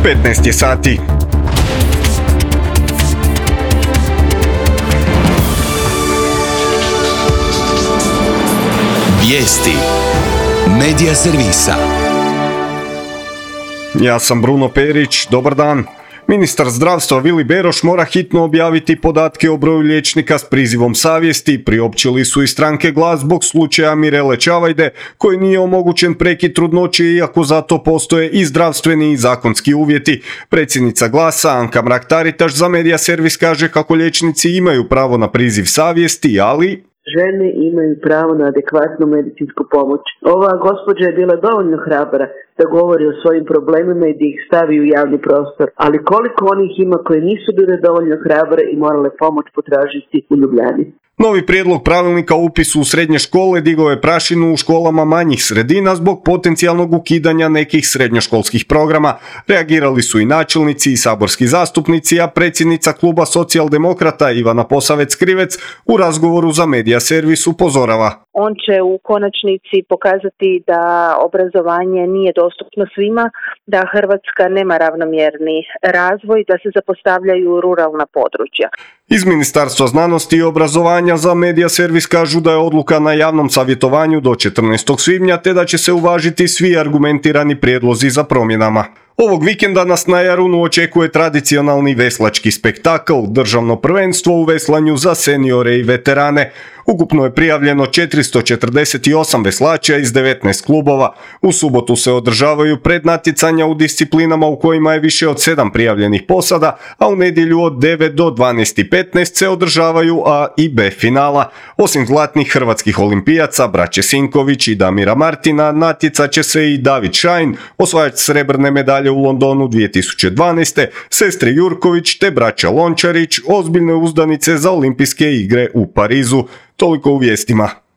15 je sati. Vijesti Medija servisa. Ja sam Bruno Perić, dobar dan. Ministar zdravstva Vili Beroš mora hitno objaviti podatke o broju liječnika s prizivom savjesti. Priopćili su i stranke Glas zbog slučaja Mirele Čavajde, koji nije omogućen prekid trudnoće iako zato postoje i zdravstveni i zakonski uvjeti. Predsjednica Glasa Anka Mrak-Taritaš za Medija servis kaže kako liječnici imaju pravo na priziv savjesti, ali žene imaju pravo na adekvatnu medicinsku pomoć. Ova gospođa je bila dovoljno hrabra da govori o svojim problemima i da ih stavi u javni prostor. Ali koliko onih ima koje nisu bile dovoljno hrabre i morale pomoć potražiti u Ljubljani. Novi prijedlog pravilnika o upisu u srednje škole digao je prašinu u školama manjih sredina zbog potencijalnog ukidanja nekih srednjoškolskih programa. Reagirali su i načelnici i saborski zastupnici, a predsjednica kluba Socijaldemokrata Ivana Posavec-Krivec u razgovoru za Medija servis upozorava. On će u konačnici pokazati da obrazovanje nije dostupno svima, da Hrvatska nema ravnomjerni razvoj, da se zapostavljaju ruralna područja. Iz Ministarstva znanosti i obrazovanja za Medija servis kažu da je odluka na javnom savjetovanju do 14. svibnja te da će se uvažiti svi argumentirani prijedlozi za promjenama. Ovog vikenda nas na Jarunu očekuje tradicionalni veslački spektakl, državno prvenstvo u veslanju za seniore i veterane. Ukupno je prijavljeno 448 veslača iz 19 klubova. U subotu se održavaju prednatjecanja u disciplinama u kojima je više od 7 prijavljenih posada, a u nedjelju od 9 do 12:15 se održavaju A i B finala. Osim zlatnih hrvatskih olimpijaca, braće Sinković i Damira Martina, natjecat će se i David Šajn, osvajač srebrne medalje u Londonu 2012. sestre Jurković te braća Lončarić, ozbiljne uzdanice za olimpijske igre u Parizu. Toliko u vijestima.